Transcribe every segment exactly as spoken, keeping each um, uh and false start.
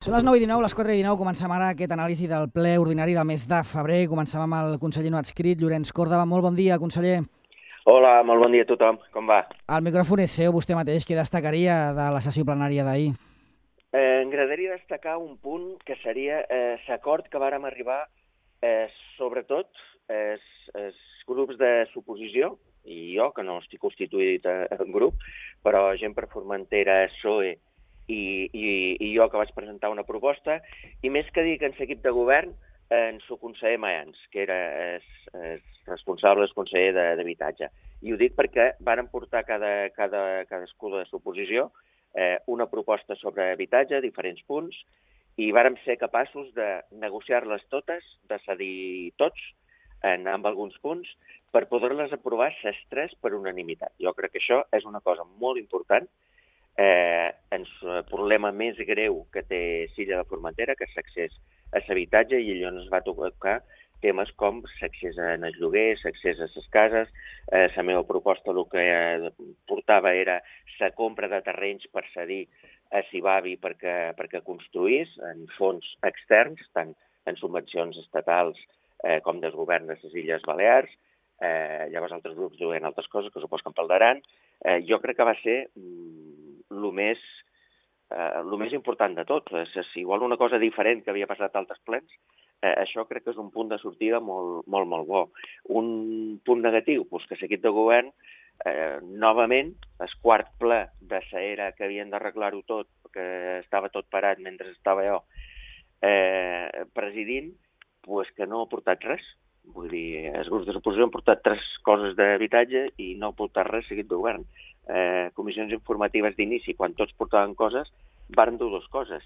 Són les nou i dinou, les quatre i dinou, comencem ara aquest anàlisi del ple ordinari del mes de febrer. Comencem amb el conseller no adscrit, Llorenç Córdoba. Molt bon dia, conseller. Hola, molt bon dia a tothom. Com va? El micròfon és seu, vostè mateix. Què destacaria de la sessió plenària d'ahir? Eh, M'agradaria destacar un punt que seria eh, l'acord que vàrem arribar, eh, sobretot, els eh, grups de suposició, i jo, que no estic constituït en grup, però gent per Formentera, P S O E, i, i, i jo que vaig presentar una proposta, i més que dir que en l'equip de govern, en el conseller Mayans, que era el, el responsable, el conseller d'Habitatge. I ho dic perquè varen portar cada, cada, cadascú de suposició eh, una proposta sobre habitatge, diferents punts, i vàrem ser capaços de negociar-les totes, de cedir tots en, amb alguns punts, per poder-les aprovar les tres per unanimitat. Jo crec que això és una cosa molt important. Eh, el problema més greu que té l'illa de Formentera, que és l'accés a l'habitatge, i allò ens va tocar temes com l'accés al lloguer, l'accés a les cases. Eh, la meva proposta el que portava era la compra de terrenys per cedir a Cibavi perquè, perquè construís en fons externs, tant en subvencions estatals eh, com del govern de les Illes Balears. Eh, llavors altres grups diuen altres coses que supos que en parlaran. Eh, jo crec que va ser el més, eh, el més important de tot. És, és igual una cosa diferent que havia passat a altres plens, eh, això crec que és un punt de sortida molt, molt, molt bo. Un punt negatiu, doncs que l'equip de govern, eh, novament, el quart ple de l'era que havien d'arreglar-ho tot, que estava tot parat mentre estava jo eh, presidint, doncs que no ha portat res. Vull dir, els grups de l'oposició han portat tres coses d'habitatge i no ha portat res seguit de govern. Eh, comissions informatives d'inici, quan tots portaven coses, varen dur dues coses.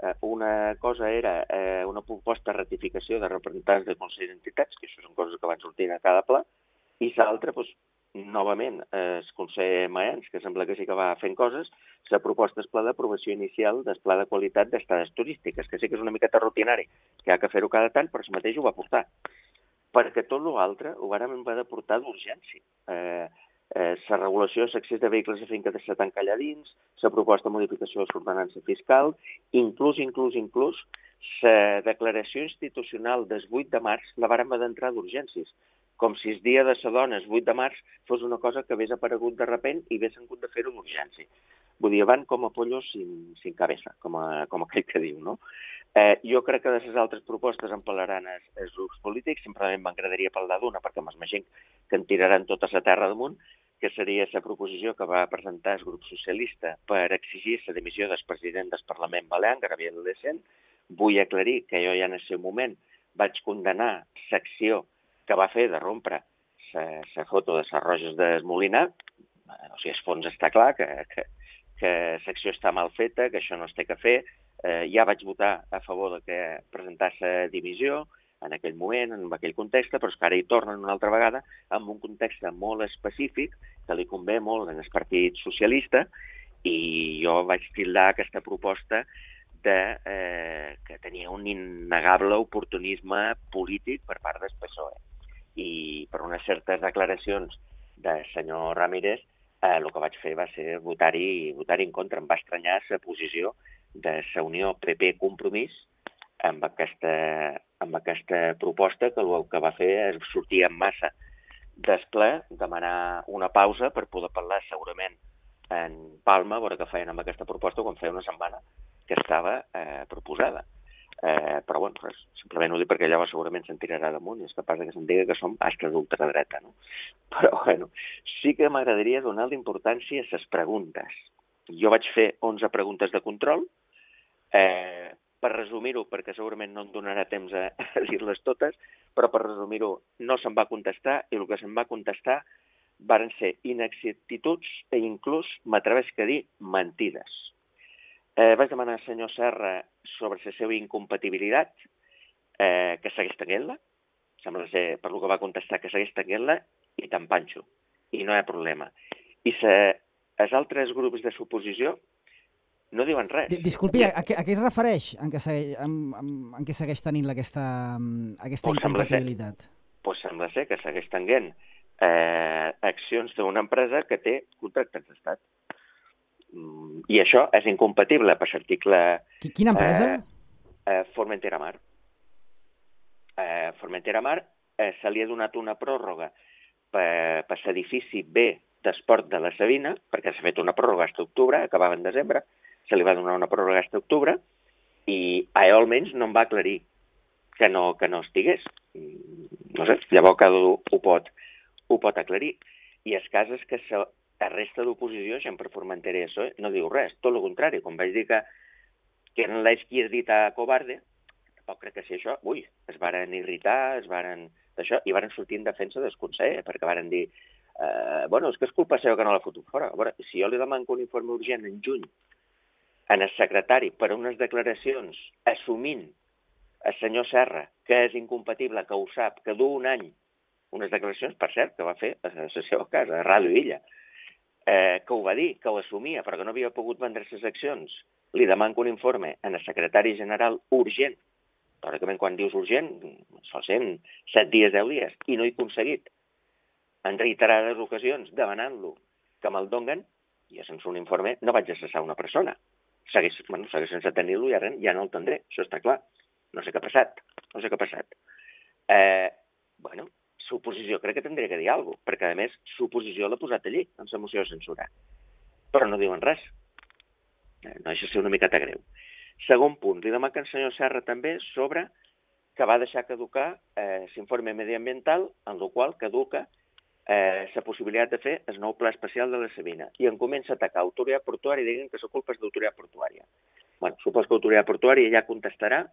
Eh, una cosa era eh, una proposta de ratificació de representants de Consell d'Entitats, que això són coses que van sortint a cada pla, i l'altra, doncs, novament, eh, el conseller Mayans, que sembla que sí que va fent coses, la proposta és pla d'aprovació inicial del pla de qualitat d'estades turístiques, que sí que és una miqueta rutinari, que ha que fer-ho cada tant, però el mateix ho va portar. Perquè tot l'altre ho vàrem haver de portar d'urgència. Eh, eh, la regulació de l'accés de vehicles a finca de setanta allà dins, la proposta de modificació de l'ordenança fiscal, inclús, inclús, inclús, la declaració institucional del vuit de març la vàrem haver d'entrar d'urgències, com si el dia de la dona, el vuit de març, fos una cosa que hagués aparegut de repent i hagués hagut de fer-ho d'urgència. Vull dir, van com a pollos sin, sin cabeza, com, a, com aquell que diu, no? Eh, jo crec que de les altres propostes en parlaran els, els grups polítics. Simplement m'agradaria parlar d'una, perquè m'imagino que en tiraran tota la terra damunt, que seria la proposició que va presentar el grup socialista per exigir la dimissió del president del Parlament Balear, Gabriel Lecent. Vull aclarir que jo ja en el seu moment vaig condenar l'acció que va fer de rompre la foto de les Roges del Molinar. O sigui, el fons està clar, que, que, que l'acció està mal feta, que això no es té que fer. Eh, ja vaig votar a favor de que presentàs la dimissió en aquell moment, en aquell context, però és que ara hi tornen una altra vegada amb un context molt específic que li convé molt en el Partit Socialista, i jo vaig tildar aquesta proposta de, eh, que tenia un innegable oportunisme polític per part del P S O E. I per unes certes declaracions del senyor Ramírez, eh, el que vaig fer va ser votar-hi votar en contra. Em va estranyar la posició de la Unió P P Compromís amb aquesta, amb aquesta proposta, que el que va fer és sortir en massa del ple, demanar una pausa per poder parlar segurament en Palma, a veure què feien amb aquesta proposta quan feia una setmana que estava eh, proposada. Eh, però bueno, res, simplement ho dic perquè llavors segurament se'n tirarà damunt i és capaç que se'n digui que som astres d'ultradreta, no? Però bueno, sí que m'agradaria donar l'importància a les preguntes. Jo vaig fer onze preguntes de control. Eh, per resumir-ho, perquè segurament no em donarà temps a, a dir-les totes, però per resumir-ho, no se'n va contestar, i el que se'n va contestar varen ser inexactituds i inclús, m'atreveixo a dir, mentides. Eh, vaig demanar al senyor Serra sobre la seva incompatibilitat, eh, que segueix tenint-la, sembla ser, per lo que va contestar, que segueix tenint-la, i te'n panxo, i no hi ha problema. I se, els altres grups de suposició no diuen res. Disculpi, a, a, què, a què es refereix en què segueix, en, en, en què segueix tenint aquesta, aquesta pues incompatibilitat? Doncs pues sembla ser que segueix tenint eh, accions d'una empresa que té contractes d'estat. I això és incompatible per l'article... Quina empresa? Eh, eh, Formentera Mar. Eh, Formentera Mar eh, se li ha donat una pròrroga per, per l'edifici B d'Esport de la Sabina, perquè s'ha fet una pròrroga fins a octubre, acabava en desembre, se li va donar una pròrroga fins a octubre, i a ell almenys no em va aclarir que no, que no estigués. No sé, llavors cada un ho pot, ho pot aclarir. I el cas és que la resta d'oposició, gent per Formentera i això, no diu res, tot el contrari. Com vaig dir que, que eren les qui has dit a covarde, tampoc crec que sigui això. Ui, es varen irritar, es varen d'això, i varen sortir en defensa del conseller, perquè varen dir, eh, bueno, és que és culpa seva que no l'ha fotut fora. A veure, si jo li demano un informe urgent en juny en el secretari per unes declaracions assumint el senyor Serra que és incompatible, que ho sap, que du un any, unes declaracions, per cert, que va fer a la seva casa, a Ràdio Illa, eh, que ho va dir, que ho assumia, però que no havia pogut vendre les accions, li demano un informe en el secretari general urgent. Teòricament, quan dius urgent, sol ser en set dies, deu dies, i no he aconseguit, en reiterades ocasions, demanant-lo que me'l donguen, i sense un informe no vaig a cessar una persona. Segueix, bueno, segueix sense tenir-lo i ara ja no el tindré, això està clar. No sé què ha passat, no sé què ha passat. Eh, bueno, suposició crec que tindria que dir alguna cosa, perquè a més suposició l'ha posat allí, en la moció de censura. Però no diuen res. Eh, no deixa ser una miqueta greu. Segon punt, li demana al senyor Serra també sobre que va deixar caducar eh, l'informe mediambiental, en el qual caduca eh, la possibilitat de fer el nou pla especial de la Sabina. I en comença a atacar autoritat portuària i diguin que la culpa és d'autoritat portuària. Bueno, supos que autoritat portuària ja contestarà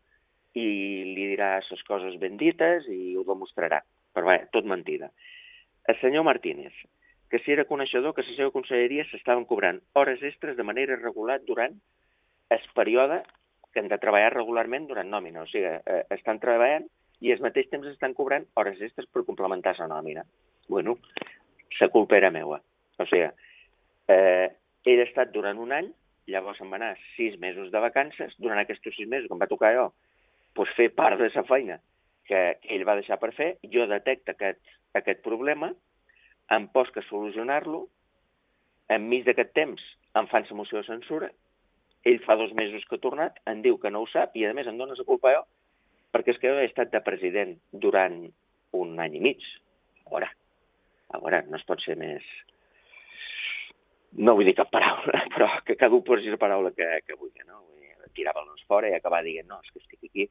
i li dirà les coses ben dites i ho demostrarà. Però bé, tot mentida. El senyor Martínez, que si era coneixedor que la seva conselleria s'estaven cobrant hores extres de manera regular durant el període que han de treballar regularment durant nòmina. O sigui, eh, estan treballant i al mateix temps estan cobrant hores extres per complementar la nòmina. Bueno, la culpa era meua. O sigui, eh, ell ha estat durant un any, llavors em va anar sis mesos de vacances, durant aquests sis mesos que em va tocar jo, doncs fer part de la feina que ell va deixar per fer, jo detecto aquest, aquest problema, em poso a solucionar-lo, enmig d'aquest temps em fan la moció de censura, ell fa dos mesos que ha tornat, em diu que no ho sap i a més em dona la culpa jo, perquè és que jo he estat de president durant un any i mig. A veure, a veure, no es pot ser més... No vull dir cap paraula, però que cada un posi la paraula que, que vulgui, no? Tirar-los fora i acabar dient, no, és que estic aquí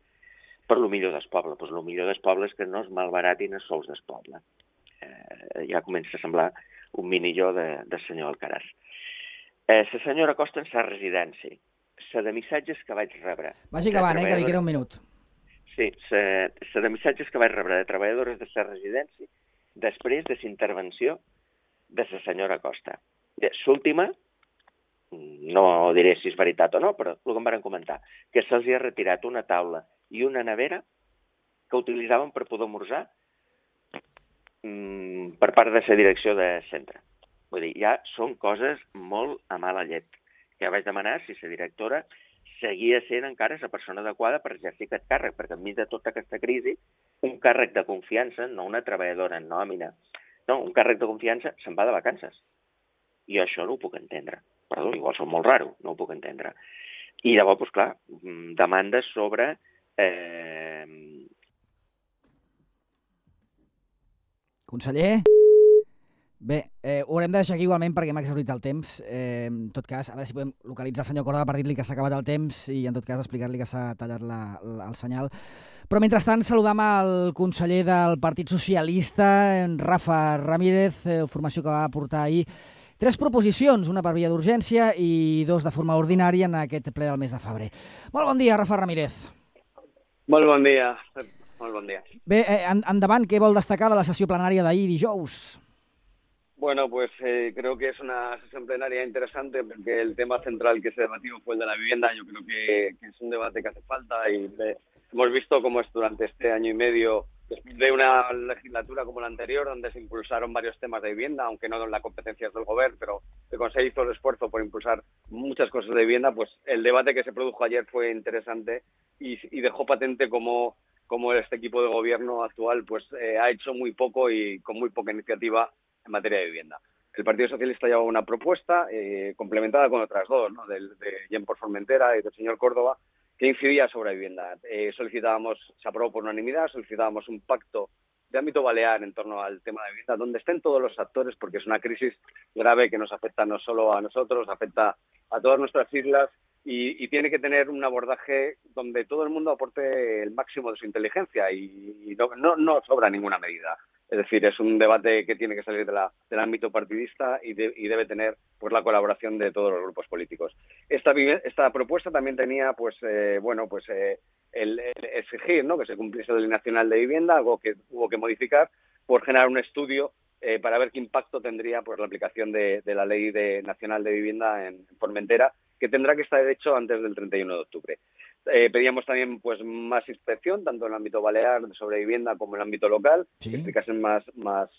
per lo millor del poble. Doncs lo millor del poble és que no es malbaratin els sols del poble. Eh, ja comença a semblar un mini-jo de, del senyor Alcaraz. Eh, la senyora Costa en sa residència. La de missatges que vaig rebre... Vagi acabant, eh, que li queda un minut. Sí, la de missatges que vaig rebre de treballadores de sa residència després de la intervenció de la senyora Costa. L'última, no diré si és veritat o no, però el que em van comentar, que se'ls ha retirat una taula i una nevera que utilitzaven per poder esmorzar mmm, per part de la direcció de centre. Vull dir, ja són coses molt a mala llet. Ja vaig demanar si la directora seguia sent encara la persona adequada per exercir aquest càrrec, perquè enmig de tota aquesta crisi, un càrrec de confiança, no una treballadora en nòmina, no, un càrrec de confiança se'n va de vacances. I això no ho puc entendre. Perdó, igual som molt raro, no ho puc entendre. I llavors, doncs clar, demandes sobre... Eh... Conseller? Bé, eh, ho haurem de deixar aquí igualment perquè m'ha exhaurit el temps. Eh, en tot cas, a veure si podem localitzar el senyor Córdoba per dir-li que s'ha acabat el temps i en tot cas explicar-li que s'ha tallat la, la, el senyal. Però mentrestant saludam el conseller del Partit Socialista, en Rafa Ramírez, eh, formació que va portar ahir tres proposicions, una per via d'urgència i dos de forma ordinària en aquest ple del mes de febrer. Molt bon dia, Rafa Ramírez. Molt bon dia. Molt bon dia. Bé, eh, endavant, què vol destacar de la sessió plenària d'ahir dijous? Bueno, pues eh, creo que es una sesión plenaria interesante porque el tema central que se debatió fue el de la vivienda. Yo creo que, que es un debate que hace falta y eh, hemos visto cómo es durante este año y medio, después de una legislatura como la anterior, donde se impulsaron varios temas de vivienda, aunque no en las competencias del gobierno, pero el Consejo hizo el esfuerzo por impulsar muchas cosas de vivienda, pues el debate que se produjo ayer fue interesante y, y dejó patente cómo, cómo este equipo de gobierno actual pues eh, ha hecho muy poco y con muy poca iniciativa en materia de vivienda. el Partido Socialista llevaba una propuesta eh, complementada con otras dos, ¿no? Del, de Jen por Formentera y del señor Córdoba, que incidía sobre la vivienda. Eh, solicitábamos, se aprobó por unanimidad, solicitábamos un pacto de ámbito balear en torno al tema de vivienda, donde estén todos los actores, porque es una crisis grave que nos afecta no solo a nosotros, afecta a todas nuestras islas y, y tiene que tener un abordaje donde todo el mundo aporte el máximo de su inteligencia y, y no, no, no sobra ninguna medida. Es decir, es un debate que tiene que salir de la, del ámbito partidista y, de, y debe tener pues la colaboración de todos los grupos políticos. Esta, esta propuesta también tenía pues eh, bueno pues eh, el, el exigir, ¿no?, que se cumpliese la Ley Nacional de Vivienda, algo que hubo que modificar por generar un estudio eh, para ver qué impacto tendría pues la aplicación de, de la Ley de, Nacional de Vivienda en Formentera, que tendrá que estar hecho antes del treinta y uno de octubre. Eh, pedíamos también pues más inspección, tanto en el ámbito balear sobre vivienda como en el ámbito local, ¿sí?, que implicasen más, más,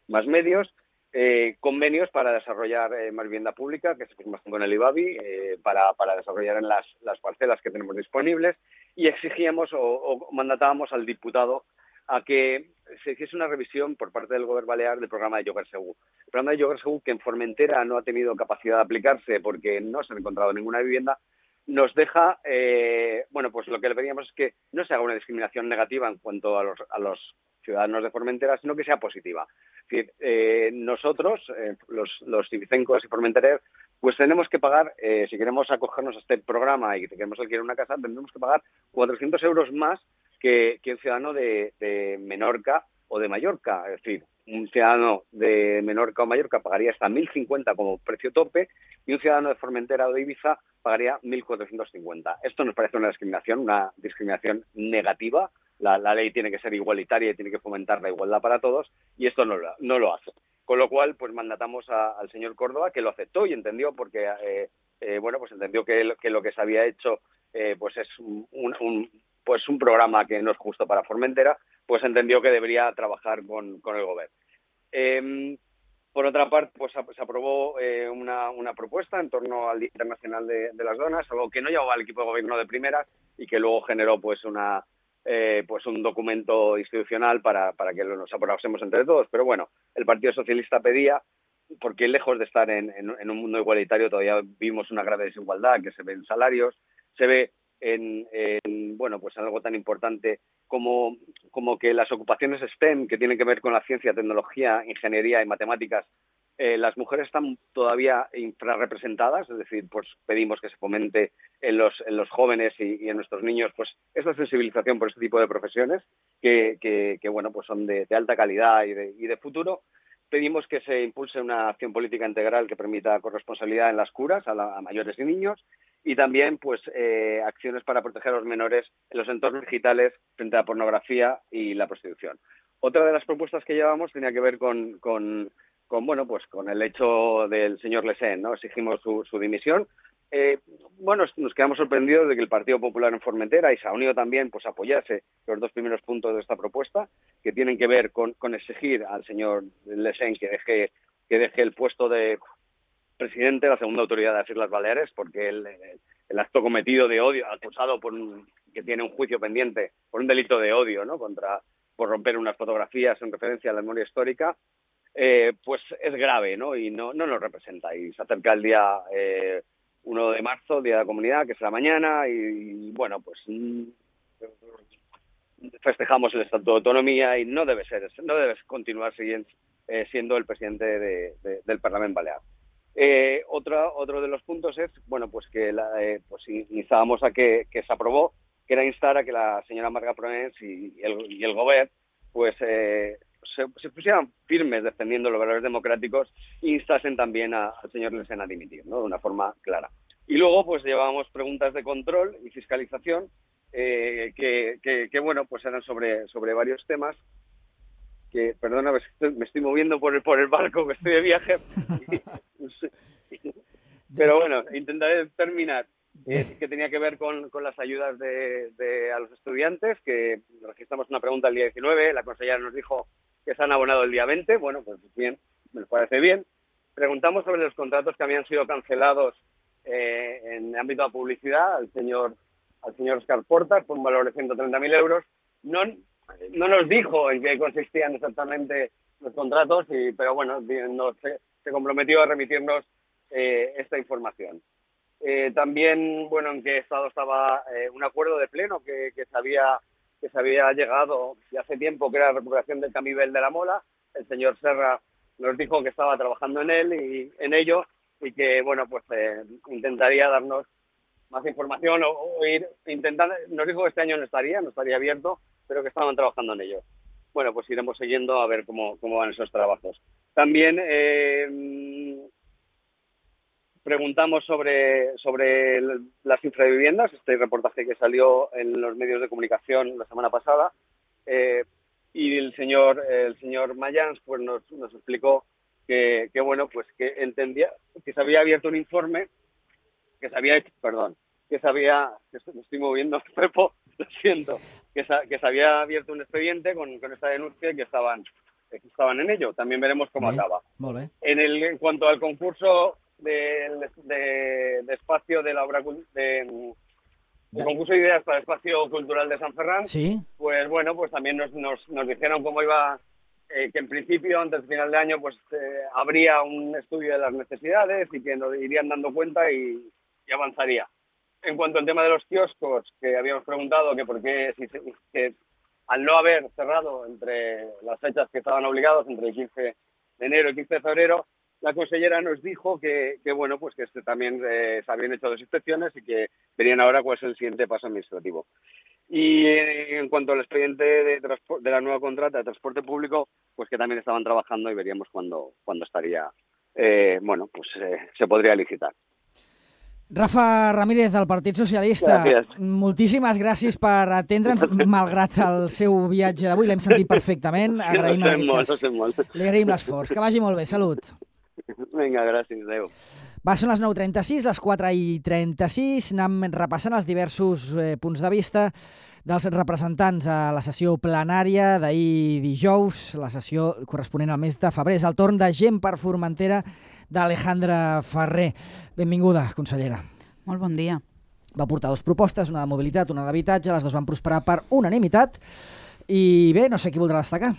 más medios, eh, convenios para desarrollar eh, más vivienda pública, que se firmasen con el IBABI, eh, para, para desarrollar en las, las parcelas que tenemos disponibles, y exigíamos o, o mandatábamos al diputado a que se hiciese una revisión por parte del Gobierno Balear del programa de Lloguer Segur. El programa de Lloguer Segur, que en Formentera no ha tenido capacidad de aplicarse porque no se ha encontrado ninguna vivienda, nos deja, eh, bueno, pues lo que le pedíamos es que no se haga una discriminación negativa en cuanto a los, a los ciudadanos de Formentera, sino que sea positiva. Es decir, eh, nosotros, eh, los, los civicencos y formentereros, pues tenemos que pagar, eh, si queremos acogernos a este programa y queremos alquilar una casa, tendremos que pagar cuatrocientos euros más que, que un ciudadano de, de Menorca o de Mallorca. Es decir, un ciudadano de Menorca o Mallorca pagaría hasta mil cincuenta como precio tope y un ciudadano de Formentera o de Ibiza pagaría mil cuatrocientos cincuenta. Esto nos parece una discriminación, una discriminación negativa. La, la ley tiene que ser igualitaria y tiene que fomentar la igualdad para todos y esto no lo, no lo hace. Con lo cual, pues mandatamos a, al señor Córdoba, que lo aceptó y entendió, porque eh, eh, bueno, pues entendió que, que lo que se había hecho eh, pues es un, un, pues un programa que no es justo para Formentera, pues entendió que debería trabajar con, con el gobierno. Eh, por otra parte, pues se aprobó eh, una, una propuesta en torno al Día Internacional de, de las Donas, algo que no llevaba al equipo de gobierno de primera y que luego generó pues una eh, pues un documento institucional para, para que nos aprobásemos entre todos. Pero bueno, el Partido Socialista pedía, porque lejos de estar en, en, en un mundo igualitario todavía vimos una grave desigualdad que se ve en salarios, se ve en, en bueno pues en algo tan importante como, como que las ocupaciones STEM, que tienen que ver con la ciencia, tecnología, ingeniería y matemáticas, eh, las mujeres están todavía infrarrepresentadas, es decir, pues pedimos que se fomente en los, en los jóvenes y, y en nuestros niños pues esta sensibilización por este tipo de profesiones que, que, que bueno pues son de, de alta calidad y de, y de futuro. Pedimos que se impulse una acción política integral que permita corresponsabilidad en las curas a, la, a mayores y niños y también pues eh, acciones para proteger a los menores en los entornos digitales frente a la pornografía y la prostitución. Otra de las propuestas que llevamos tenía que ver con, con, con bueno pues con el hecho del señor Lesén, ¿no? Exigimos su, su dimisión. Eh, bueno, nos quedamos sorprendidos de que el Partido Popular en Formentera y Saunido también pues apoyase los dos primeros puntos de esta propuesta, que tienen que ver con, con exigir al señor Lesén que deje, que deje el puesto de presidente de la segunda autoridad de las Islas Baleares, porque el, el, el acto cometido de odio, acusado por un, que tiene un juicio pendiente por un delito de odio, ¿no? Contra, por romper unas fotografías en referencia a la memoria histórica, eh, pues es grave, ¿no? Y no, no nos representa. Y se acerca el día eh, uno de marzo, Día de la Comunidad, que es la mañana, y, y bueno, pues mm, festejamos el Estatuto de Autonomía y no debe ser, no debe continuar siendo, eh, siendo el presidente de, de, del Parlamento Balear. Eh, otra, otro de los puntos es, bueno, pues que la, eh, pues instábamos a que, que se aprobó, que era instar a que la señora Marga Provence y, y el, y el Gobierno, pues eh, se, se pusieran firmes defendiendo los valores democráticos e instasen también a, al señor Lesén a dimitir, ¿no? De una forma clara. Y luego, pues llevábamos preguntas de control y fiscalización, eh, que, que, que, bueno, pues eran sobre, sobre varios temas. Que, perdona, me estoy, me estoy moviendo por el, por el barco, que estoy de viaje. Pero bueno, intentaré terminar. Eh, que tenía que ver con, con las ayudas de, de, a los estudiantes, que registramos una pregunta el día diecinueve, la consejera nos dijo que se han abonado el día veinte, bueno, pues bien, me parece bien. Preguntamos sobre los contratos que habían sido cancelados eh, en el ámbito de publicidad al señor, al señor Oscar Portas por un valor de ciento treinta mil euros. No, no nos dijo en qué consistían exactamente los contratos, y, pero bueno, nos, se se comprometió a remitirnos eh, esta información. Eh, también, bueno, en qué estado estaba eh, un acuerdo de pleno que, que, se había, que se había llegado ya hace tiempo, que era la recuperación del Camivel de la Mola. El señor Serra nos dijo que estaba trabajando en él y en ello y que, bueno, pues eh, intentaría darnos más información o, o ir intentando. Nos dijo que este año no estaría, no estaría abierto, pero que estaban trabajando en ello. Bueno, pues iremos siguiendo a ver cómo, cómo van esos trabajos. También eh, preguntamos sobre, sobre las infraviviendas, este reportaje que salió en los medios de comunicación la semana pasada, eh, y el señor el señor Mayans pues nos, nos explicó que, que bueno pues que entendía que se había abierto un informe que se había hecho, perdón, que se había, que me estoy moviendo, Pepo, lo siento, que se, que se había abierto un expediente con, con esta denuncia y que estaban, que estaban en ello. También veremos cómo Bien, acaba. molt bé. En, el, en cuanto al concurso de, de, de espacio de la obra, de, el concurso de ideas para el espacio cultural de San Ferran, sí. Pues bueno, pues también nos, nos, nos dijeron cómo iba, eh, que en principio, antes del final de año, pues eh, habría un estudio de las necesidades y que nos irían dando cuenta y, y avanzaría. En cuanto al tema de los kioscos, que habíamos preguntado que por qué, si, que al no haber cerrado entre las fechas que estaban obligados, entre el quince de enero y el quince de febrero, la consellera nos dijo que, que bueno, pues que este también eh, se habían hecho dos inspecciones y que verían ahora cuál es el siguiente paso administrativo. Y en cuanto al expediente de, de la nueva contrata de transporte público, pues que también estaban trabajando y veríamos cuándo, cuándo estaría, eh, bueno, pues eh, se podría licitar. Rafa Ramírez, del Partit Socialista, gràcies. Moltíssimes gràcies per atendre'ns, malgrat el seu viatge d'avui, l'hem sentit perfectament, agraïm en aquest cas. Li agraïm l'esforç. Que vagi molt bé, salut. Vinga, gràcies, adéu. Va, són les nou i trenta-sis, les quatre i trenta-sis, anem repassant els diversos eh, punts de vista dels representants a la sessió plenària d'ahir dijous, la sessió corresponent al mes de febrer. És el torn de Gent per Formentera d'Alejandra Ferrer. Benvinguda, consellera. Molt bon dia. Va portar dues propostes, una de mobilitat, una d'habitatge, les dues van prosperar per unanimitat i bé, no sé qui voldrà destacar.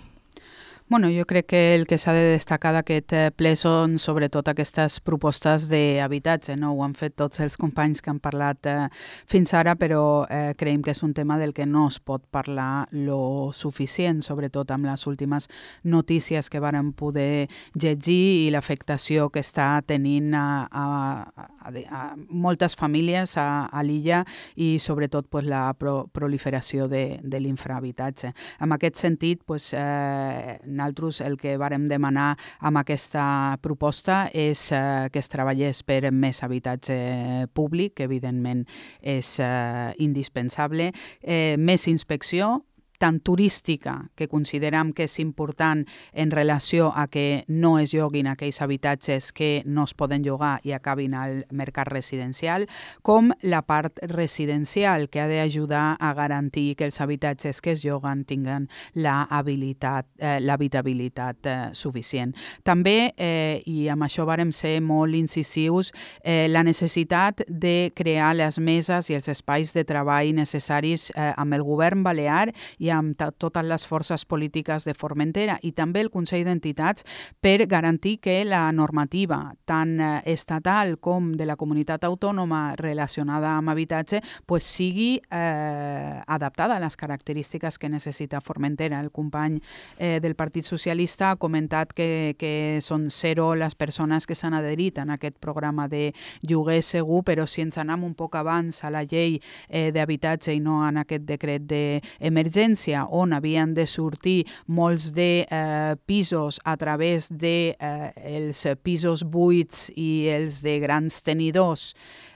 Bueno, jo crec que el que s'ha de destacar d'aquest ple són sobretot aquestes propostes d'habitatge, no? Ho han fet tots els companys que han parlat eh, fins ara, però eh, creiem que és un tema del que no es pot parlar lo suficient, sobretot amb les últimes notícies que varen poder llegir i l'afectació que està tenint a, a, a, a moltes famílies a, a l'illa i sobretot pues, la pro, proliferació de, de l'infrahabitatge. En aquest sentit, pues, eh, nosaltres el que vàrem demanar amb aquesta proposta és eh, que es treballés per més habitatge públic, que evidentment és eh, indispensable, eh, més inspecció, tant turística, que considerem que és important en relació a que no es lloguin aquells habitatges que no es poden llogar i acabin al mercat residencial, com la part residencial, que ha d'ajudar a garantir que els habitatges que es lloguen tinguen l'habitabilitat eh, eh, suficient. També, eh, i amb això vàrem ser molt incisius, eh, la necessitat de crear les meses i els espais de treball necessaris eh, amb el govern balear i amb totes les forces polítiques de Formentera i també el Consell d'Entitats per garantir que la normativa tant estatal com de la comunitat autònoma relacionada amb habitatge pues, sigui eh, adaptada a les característiques que necessita Formentera. El company eh, del Partit Socialista ha comentat que, que són zero les persones que s'han adherit en aquest programa de lloguer segur, però si ens anem un poc abans a la llei eh, d'habitatge i no en aquest decret d'emergència, on havien de sortir molts de eh, pisos a través de eh, els pisos buits i els de grans tenidors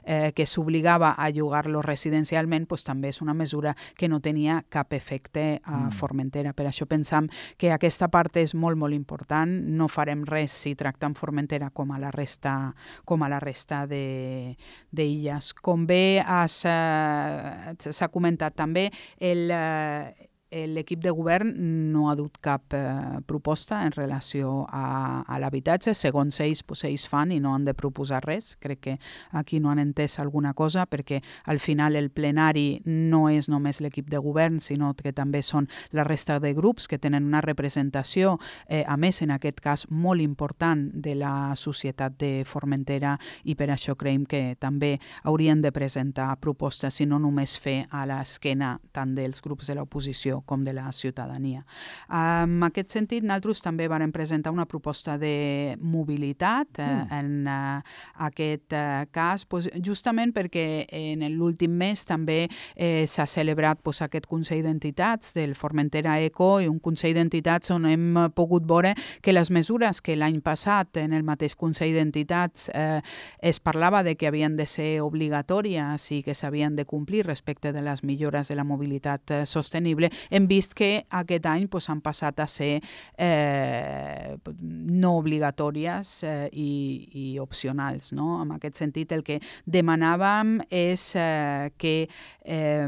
eh, que s'obligava a llogar-los residencialment, pues, també és una mesura que no tenia cap efecte a Formentera. Per això pensam que aquesta part és molt, molt important. No farem res si tractem Formentera com a la resta, com a la resta d'illes. Com bé s'ha comentat també, el... Eh, l'equip de govern no ha dut cap eh, proposta en relació a, a l'habitatge. Segons ells, pues, ells fan i no han de proposar res. Crec que aquí no han entès alguna cosa, perquè al final el plenari no és només l'equip de govern, sinó que també són la resta de grups que tenen una representació, eh, a més, en aquest cas, molt important de la societat de Formentera, i per això creiem que també haurien de presentar propostes i no només fer a l'esquena tant dels grups de l'oposició com de la ciutadania. En aquest sentit, nosaltres també vam presentar una proposta de mobilitat eh, mm. en eh, aquest eh, cas, pues, justament perquè en l'últim mes també eh, s'ha celebrat pues, aquest Consell d'Entitats del Formentera Eco, i un Consell d'Entitats on hem pogut veure que les mesures que l'any passat en el mateix Consell d'Entitats eh, es parlava de que havien de ser obligatòries i que s'havien de complir respecte de les millores de la mobilitat eh, sostenible, hem vist que aquest any pues, han passat a ser eh, no obligatòries eh, i, i opcionals. No? En aquest sentit, el que demanàvem és eh, que eh,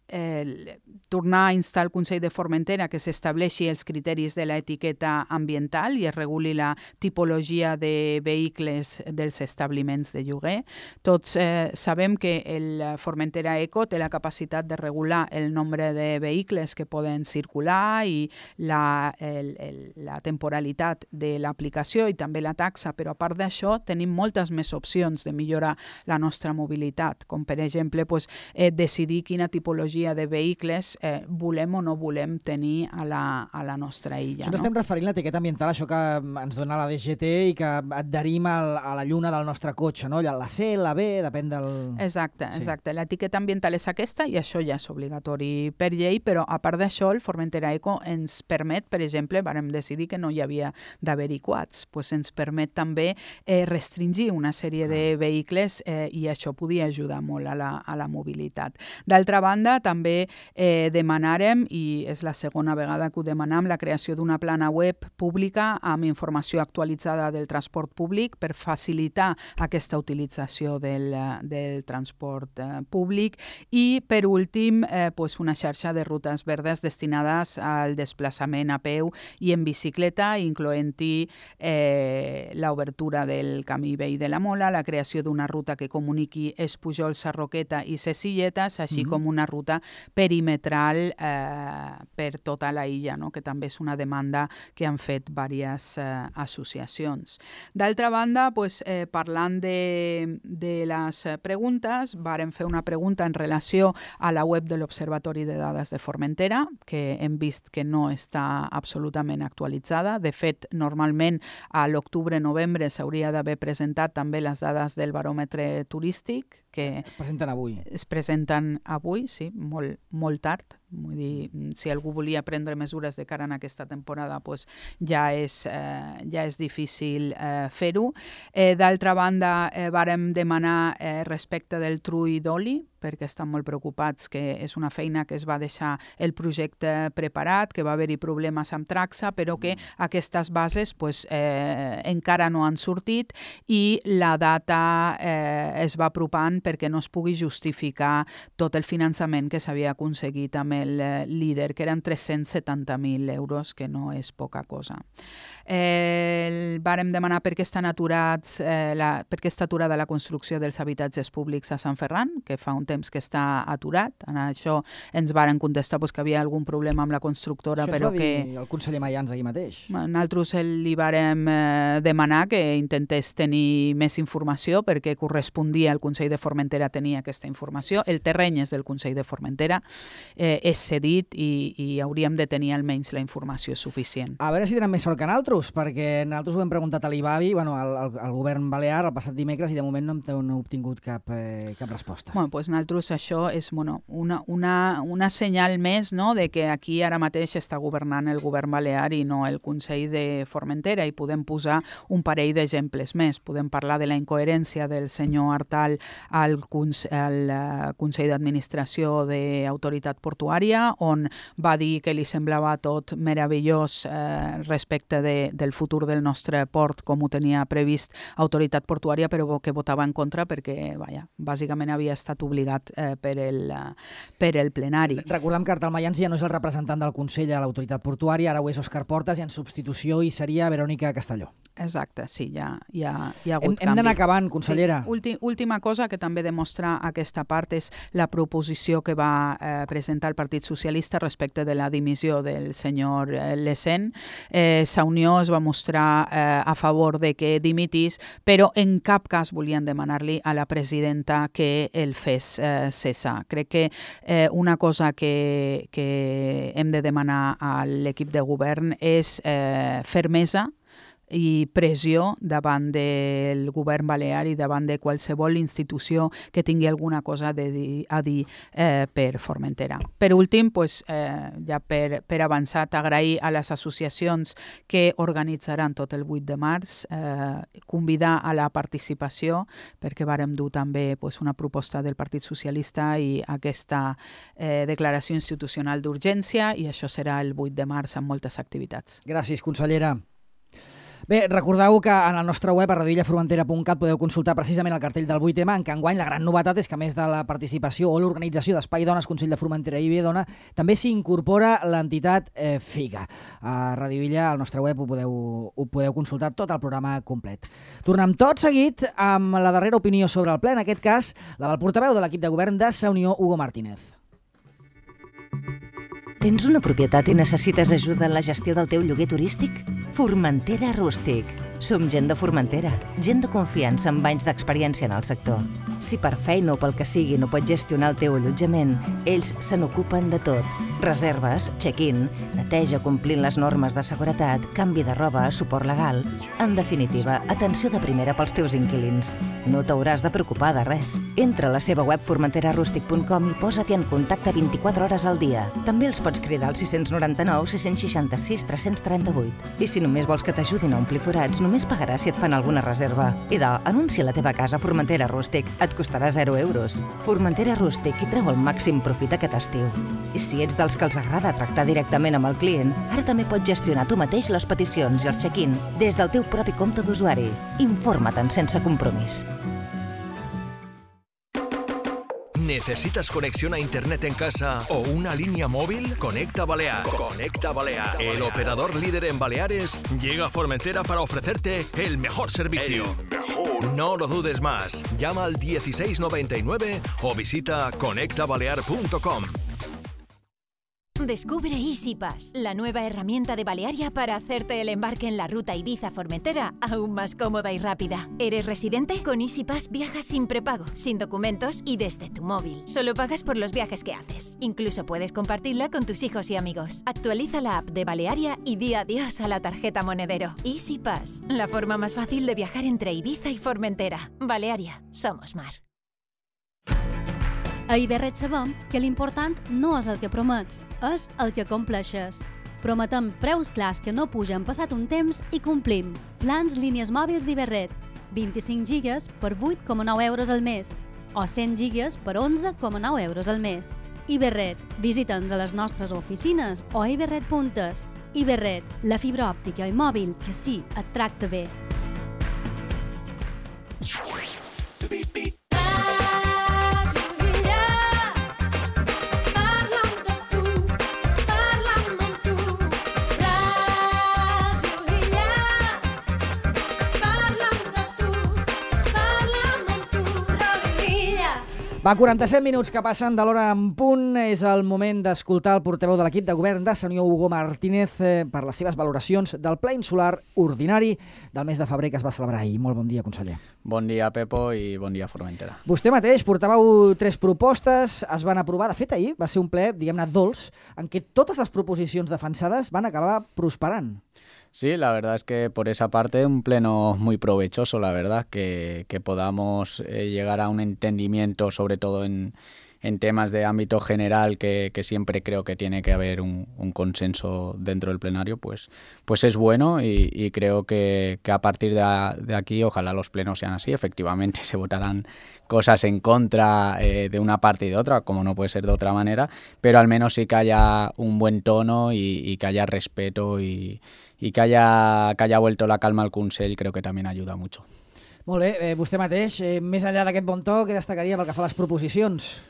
Eh, tornar a instar el Consell de Formentera que s'estableixi els criteris de l'etiqueta ambiental i es reguli la tipologia de vehicles dels establiments de lloguer. Tots eh, sabem que el Formentera Eco té la capacitat de regular el nombre de vehicles que poden circular i la, el, el, la temporalitat de l'aplicació i també la taxa, però a part d'això tenim moltes més opcions de millorar la nostra mobilitat, com per exemple pues, eh, decidir quina tipologia de vehicles eh, volem o no volem tenir a la, a la nostra illa. Això no? Estem referint a l'etiqueta ambiental, això que ens dona la D G T i que adherim al, a la lluna del nostre cotxe, no? La C, la B, depèn del... Exacte, sí. exacte. L'etiqueta ambiental és aquesta i això ja és obligatori per llei, però a part d'això el Formentera Eco ens permet, per exemple, vàrem decidir que no hi havia d'haver-hi quads, pues ens permet també eh, restringir una sèrie de vehicles eh, i això podia ajudar molt a la, a la mobilitat. D'altra banda, també eh, demanarem, i és la segona vegada que ho demanam, la creació d'una plana web pública amb informació actualitzada del transport públic per facilitar aquesta utilització del, del transport eh, públic i, per últim, eh, pues una xarxa de rutes verdes destinades al desplaçament a peu i en bicicleta, incloent-hi eh, l'obertura del camí vell de la Mola, la creació d'una ruta que comuniqui Espujol, Sarroqueta i Cecilletes, així mm-hmm. com una ruta perimetral eh, per tota la illa, no? Que també és una demanda que han fet diverses eh, associacions. D'altra banda, pues, eh, parlant de, de les preguntes, vàrem fer una pregunta en relació a la web de l'Observatori de Dades de Formentera, que hem vist que no està absolutament actualitzada. De fet, normalment a l'octubre-novembre s'hauria d'haver presentat també les dades del baròmetre turístic, que es presenten avui. Es presenten avui, sí, molt, molt tard. Vull dir, si algú volia prendre mesures de cara a aquesta temporada, pues ja, és, eh, ja és difícil eh, fer-ho. Eh, D'altra banda, eh, vàrem demanar eh, respecte del trull d'oli, perquè estan molt preocupats que és una feina que es va deixar el projecte preparat, que va haver-hi problemes amb Traxa, però que aquestes bases pues, eh, encara no han sortit i la data eh, es va apropant perquè no es pugui justificar tot el finançament que s'havia aconseguit amb el líder, que eren tres-cents setanta mil euros, que no és poca cosa. Eh, vàrem demanar per què estan aturats, eh, la, per què està aturada la construcció dels habitatges públics a Sant Ferran, que fa un temps que està aturat. En això ens varen contestar pues, que havia algun problema amb la constructora, això però que... que... Això va dir el conseller Mayans aquí mateix. Nosaltres li vàrem eh, demanar que intentés tenir més informació perquè correspondia al Consell de Formentera tenir aquesta informació. El terreny és del Consell de Formentera, eh, és cedit i, i hauríem de tenir almenys la informació suficient. A veure si tenen més sort que nosaltres, perquè nosaltres ho hem preguntat a l'I B A B I, bueno, al, al, al govern balear, el passat dimecres, i de moment no hem, no hem obtingut cap, eh, cap resposta. Bueno, pues nosaltres això és bueno, una, una, una senyal més, no?, de que aquí ara mateix està governant el govern balear i no el Consell de Formentera, i podem posar un parell d'exemples més. Podem parlar de la incoherència del senyor Artal al, al uh, Consell d'Administració d'Autoritat Portuària, portuària, on va dir que li semblava tot meravellós eh, respecte de, del futur del nostre port, com ho tenia previst autoritat portuària, però que votava en contra perquè, vaja, bàsicament havia estat obligat eh, per, el, per el plenari. Recordem que Artal Mayans ja no és el representant del Consell a l'autoritat portuària, ara ho és Òscar Portas i en substitució hi seria Verònica Castelló. Exacte, sí, ja, ja hi ha hagut hem, canvi. Hem d'anar acabant, consellera. Sí, últim, última cosa que també demostra aquesta part és la proposició que va eh, presentar el Partit Socialista respecte de la dimissió del senyor eh, Lesen. Eh, Sa Unió es va mostrar eh, a favor de que dimitís, però en cap cas volien demanar-li a la presidenta que el fes eh, cessar. Crec que eh, una cosa que, que hem de demanar a l'equip de govern és eh, fermesa i pressió davant del govern balear i davant de qualsevol institució que tingui alguna cosa de dir, a dir eh, per Formentera. Per últim, pues, eh, ja per, per avançar, agrair a les associacions que organitzaran tot el vuit de març, eh, convidar a la participació, perquè vàrem dur també pues, una proposta del Partit Socialista i aquesta eh, declaració institucional d'urgència, i això serà el vuit de març amb moltes activitats. Gràcies, consellera. Bé, recordeu que en el nostre web a radio illa formentera punt cat podeu consultar precisament el cartell del vuit M, en què enguany la gran novetat és que a més de la participació o l'organització d'Espai Dones, Consell de Formentera i Ibedona, també s'hi incorpora l'entitat eh, FIGA. A Radio Illa, al nostre web, ho podeu, ho podeu consultar tot el programa complet. Tornem tot seguit amb la darrera opinió sobre el ple, en aquest cas la del portaveu de l'equip de govern de Sa Unió, Hugo Martínez. Tens una propietat i necessites ajuda en la gestió del teu lloguer turístic? Formentera Rústic. Som gent de Formentera, gent de confiança amb anys d'experiència en el sector. Si per feina o pel que sigui no pots gestionar el teu allotjament, ells se n'ocupen de tot. Reserves, check-in, neteja complint les normes de seguretat, canvi de roba, suport legal... En definitiva, atenció de primera pels teus inquilins. No t'hauràs de preocupar de res. Entra a la seva web formentera rústic punt com i posa-t'hi en contacte vint-i-quatre hores al dia. També els pots cridar al sis noranta-nou sis seixanta-sis tres trenta-vuit. I si només vols que t'ajudin a omplir forats, només pagaràs si et fan alguna reserva. Idò, anuncia la teva casa a Formentera Rústic. Et costarà zero euros. Formentera Rústic i treu el màxim profit aquest estiu. I si ets dels que els agrada tractar directament amb el client, ara també pots gestionar tu mateix les peticions i els check-in des del teu propi compte d'usuari. Informa't sense compromís. ¿Necesitas conexión a internet en casa o una línea móvil? Conecta Balear. Conecta Balear. El operador líder en Baleares llega a Formentera para ofrecerte el mejor servicio. El mejor. No lo dudes más. Llama al dieciséis noventa y nueve o visita conecta balear punto com. Descubre EasyPass, la nueva herramienta de Balearia para hacerte el embarque en la ruta Ibiza-Formentera aún más cómoda y rápida. ¿Eres residente? Con EasyPass viajas sin prepago, sin documentos y desde tu móvil. Solo pagas por los viajes que haces. Incluso puedes compartirla con tus hijos y amigos. Actualiza la app de Balearia y di adiós a la tarjeta monedero. EasyPass, la forma más fácil de viajar entre Ibiza y Formentera. Balearia, somos mar. A Iberret sabem que l'important no és el que promets, és el que compleixes. Prometem preus clars que no pugen passat un temps i complim. Plans línies mòbils d'Iberret, vint-i-cinc gigas per vuit coma nou euros al mes o cent gigas per onze coma nou euros al mes. Iberret, visita'ns a les nostres oficines o a iberret punt es. Iberret, la fibra òptica i mòbil que sí et tracta bé. Va, quaranta-set minuts que passen de l'hora en punt. És el moment d'escoltar el portaveu de l'equip de govern de Sa Unió, Hugo Martínez, eh, per les seves valoracions del ple insular ordinari del mes de febrer que es va celebrar ahir. Molt bon dia, conseller. Bon dia, Pepo, i bon dia, Formentera. Vostè mateix portàveu tres propostes, es van aprovar. De fet, ahir va ser un ple, diguem-ne, dolç, en què totes les proposicions defensades van acabar prosperant. Sí, la verdad es que por esa parte un pleno muy provechoso, la verdad, que, que podamos eh, llegar a un entendimiento, sobre todo en, en temas de ámbito general que, que siempre creo que tiene que haber un, un consenso dentro del plenario, pues, pues es bueno y, y creo que, que a partir de, a, de aquí ojalá los plenos sean así. Efectivamente se votarán cosas en contra eh, de una parte y de otra, como no puede ser de otra manera, pero al menos sí que haya un buen tono y, y que haya respeto y, y que, haya, que haya vuelto la calma al Consell, creo que también ayuda mucho. Molt bé, eh, vostè mateix, eh, més enllà d'aquest bon to, què destacaria pel que fa a les proposicions?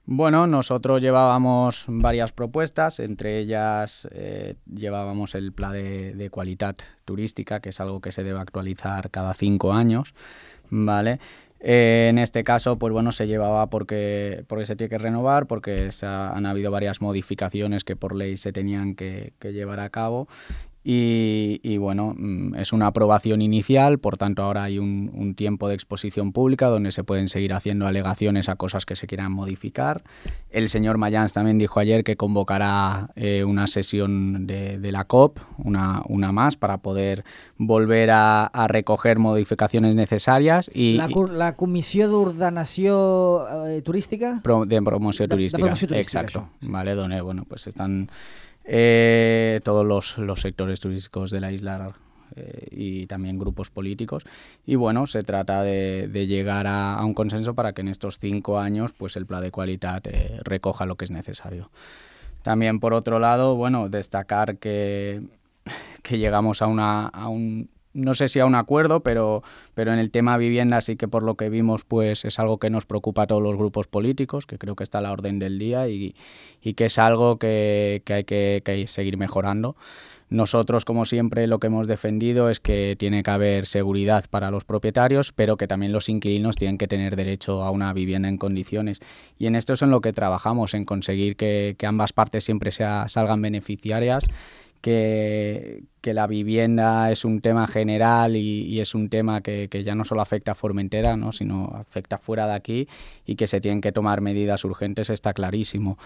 Bueno, nosotros llevábamos varias propuestas, entre ellas eh, llevábamos el Pla de, de Qualitat Turística, que es algo que se debe actualizar cada cinco años, ¿vale? Eh, en este caso, pues bueno, se llevaba porque, porque se tiene que renovar, porque se ha, han habido varias modificaciones que por ley se tenían que, que llevar a cabo. Y, y bueno, es una aprobación inicial, por tanto ahora hay un, un tiempo de exposición pública donde se pueden seguir haciendo alegaciones a cosas que se quieran modificar. El señor Mayans también dijo ayer que convocará eh, una sesión de, de la COP, una, una más, para poder volver a, a recoger modificaciones necesarias. Y, la, la Comissió d'Ordenació eh, Turística? Pro, de Promoció Turística, de, de promoció turística exacto, això. Vale, donde bueno, pues están... Eh, todos los, los sectores turísticos de la isla eh, y también grupos políticos y bueno, se trata de, de llegar a, a un consenso para que en estos cinco años pues el Pla de Qualitat eh, recoja lo que es necesario. También por otro lado, bueno, destacar que, que llegamos a, una, a un no sé si a un acuerdo, pero, pero en el tema vivienda sí que por lo que vimos pues es algo que nos preocupa a todos los grupos políticos, que creo que está a la orden del día y, y que es algo que, que, hay que, que hay que seguir mejorando. Nosotros, como siempre, lo que hemos defendido es que tiene que haber seguridad para los propietarios, pero que también los inquilinos tienen que tener derecho a una vivienda en condiciones. Y en esto es en lo que trabajamos, en conseguir que, que ambas partes siempre sea, salgan beneficiarias, que, que la vivienda es un tema general y, y es un tema que, que ya no solo afecta a Formentera, ¿no?, sino afecta fuera de aquí y que se tienen que tomar medidas urgentes, está clarísimo.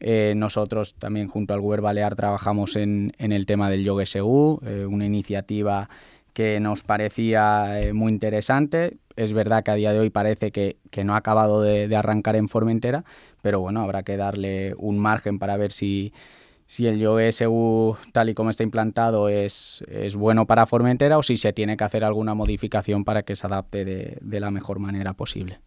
Eh, nosotros también junto al Govern Balear trabajamos en, en el tema del lloguer segur, eh, una iniciativa que nos parecía eh, muy interesante. Es verdad que a día de hoy parece que, que no ha acabado de, de arrancar en Formentera, pero bueno, habrá que darle un margen para ver si, si el lloguer segur tal y como está implantado es, es bueno para Formentera o si se tiene que hacer alguna modificación para que se adapte de, de la mejor manera posible.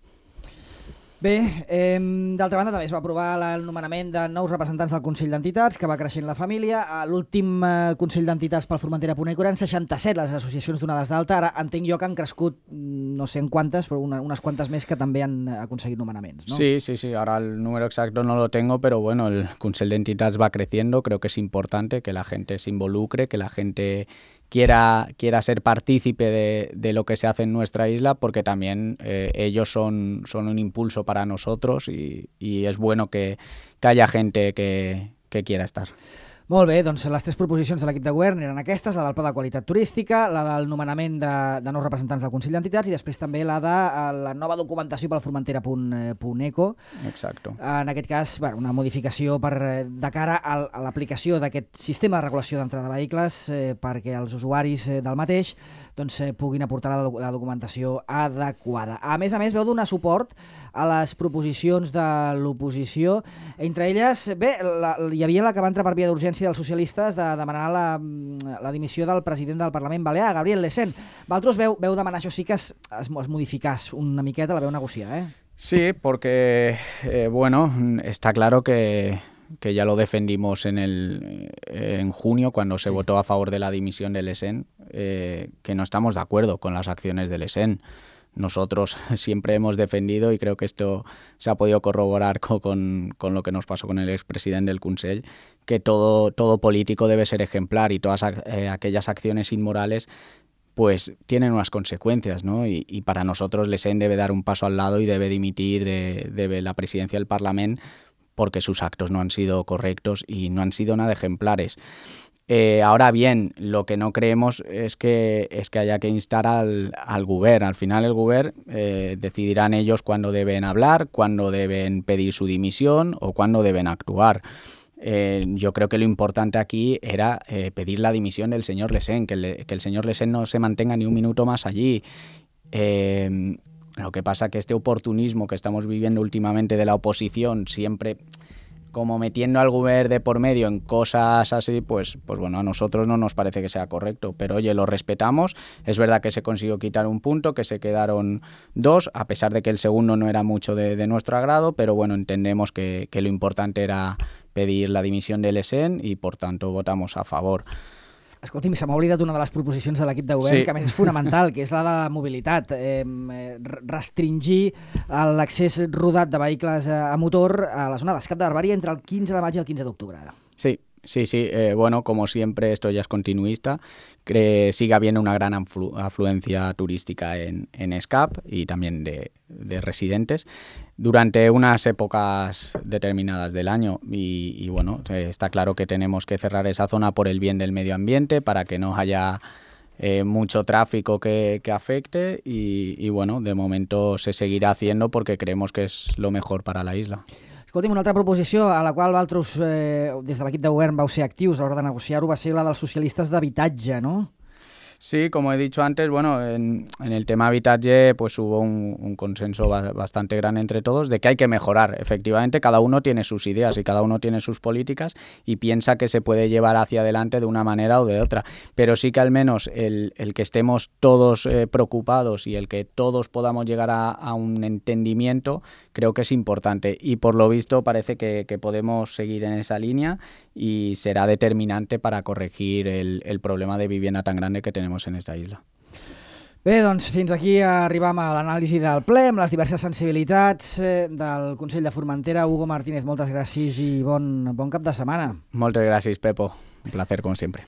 Bé, eh, d'altra banda també es va aprovar el nomenament de nous representants del Consell d'Entitats, que va creixent la família. A l'últim eh, Consell d'Entitats pel Formentera.eco eren seixanta-set les associacions donades d'alta. Ara entenc jo que han crescut no sé en quantes, però una, unes quantes més que també han aconseguit nomenaments, ¿no? Sí, sí, sí. Ahora el número exacto no lo tengo, pero bueno, el Consell d'Entitats va creciendo. Creo que es importante que la gente se involucre, que la gente quiera, quiera ser partícipe de, de lo que se hace en nuestra isla, porque también eh, ellos son, son un impulso para nosotros y, y es bueno que, que haya gente que, que quiera estar. Molt bé, doncs les tres proposicions de l'equip de govern eren aquestes, la del Pla de Qualitat Turística, la del nomenament de, de nous representants del Consell d'Entitats i després també la de la nova documentació pel Formentera.eco. Exacto. En aquest cas, bueno, una modificació per, de cara a, a l'aplicació d'aquest sistema de regulació d'entrada de vehicles eh, perquè els usuaris eh, del mateix doncs, eh, puguin aportar la, la documentació adequada. A més a més, veu donar suport a les proposicions de l'oposició. Entre elles, bé, la, hi havia la que va entrar per via d'urgència dels socialistes de demanar la, la dimissió del president del Parlament Balear, Gabriel Lecén. Vosaltres veu, veu demanar això sí que es, es, es modificàs una miqueta, la veu negociar, eh? Sí, porque, eh, bueno, está claro que... que ya lo defendimos en el en junio cuando se sí. votó a favor de la dimisión de Lecén, eh, que no estamos de acuerdo con las acciones de Lecén. Nosotros siempre hemos defendido, y creo que esto se ha podido corroborar con, con, con lo que nos pasó con el expresidente del Consell, que todo, todo político debe ser ejemplar y todas eh, aquellas acciones inmorales pues tienen unas consecuencias, ¿no? Y, y para nosotros Lecén debe dar un paso al lado y debe dimitir de, de la presidencia del Parlamento porque sus actos no han sido correctos y no han sido nada ejemplares. Eh, ahora bien, lo que no creemos es que, es que haya que instar al, al Govern. Al final el Govern eh, decidirán ellos cuándo deben hablar, cuándo deben pedir su dimisión o cuándo deben actuar. Eh, yo creo que lo importante aquí era eh, pedir la dimisión del señor Lecén, que, le, que el señor Lecén no se mantenga ni un minuto más allí. Eh, Lo que pasa que este oportunismo que estamos viviendo últimamente de la oposición, siempre como metiendo al gobierno de por medio en cosas así, pues, pues bueno, a nosotros no nos parece que sea correcto. Pero oye, lo respetamos. Es verdad que se consiguió quitar un punto, que se quedaron dos, a pesar de que el segundo no era mucho de, de nuestro agrado, pero bueno, entendemos que, que lo importante era pedir la dimisión del E S E N y por tanto votamos a favor. Escolti'm, se m'ha oblidat una de les proposicions de l'equip de govern, Sí. que a més és fonamental, que és la de la mobilitat. Eh, restringir l'accés rodat de vehicles a motor a la zona d'escap de Barbària entre el quinze de maig i el quinze d'octubre. Sí, sí, sí. Eh, bueno, como siempre, esto ya es continuista. Que sigue habiendo una gran aflu- afluencia turística en, en ESCAP y también de, de residentes durante unas épocas determinadas del año. Y, y bueno, eh, está claro que tenemos que cerrar esa zona por el bien del medio ambiente, para que no haya eh, mucho tráfico que, que afecte. Y, y bueno, de momento se seguirá haciendo porque creemos que es lo mejor para la isla. Escolti'm, una altra proposició a la qual vosaltres, eh, des de l'equip de govern, vau ser actius a l'hora de negociar-ho, va ser la dels socialistes d'habitatge, no? Sí, como he dicho antes, bueno, en, en el tema habitaje pues hubo un, un consenso ba- bastante grande entre todos de que hay que mejorar. Efectivamente, cada uno tiene sus ideas y cada uno tiene sus políticas y piensa que se puede llevar hacia adelante de una manera o de otra. Pero sí que al menos el, el que estemos todos eh, preocupados y el que todos podamos llegar a, a un entendimiento, creo que es importante. Y por lo visto parece que, que podemos seguir en esa línea y será determinante para corregir el, el problema de vivienda tan grande que tenemos en esta isla. Bé, doncs fins aquí arribam a l'anàlisi del ple amb les diverses sensibilitats eh, del Consell de Formentera. Hugo Martínez, moltes gràcies i bon, bon cap de setmana. Moltes gràcies, Pepo. Un placer, como siempre.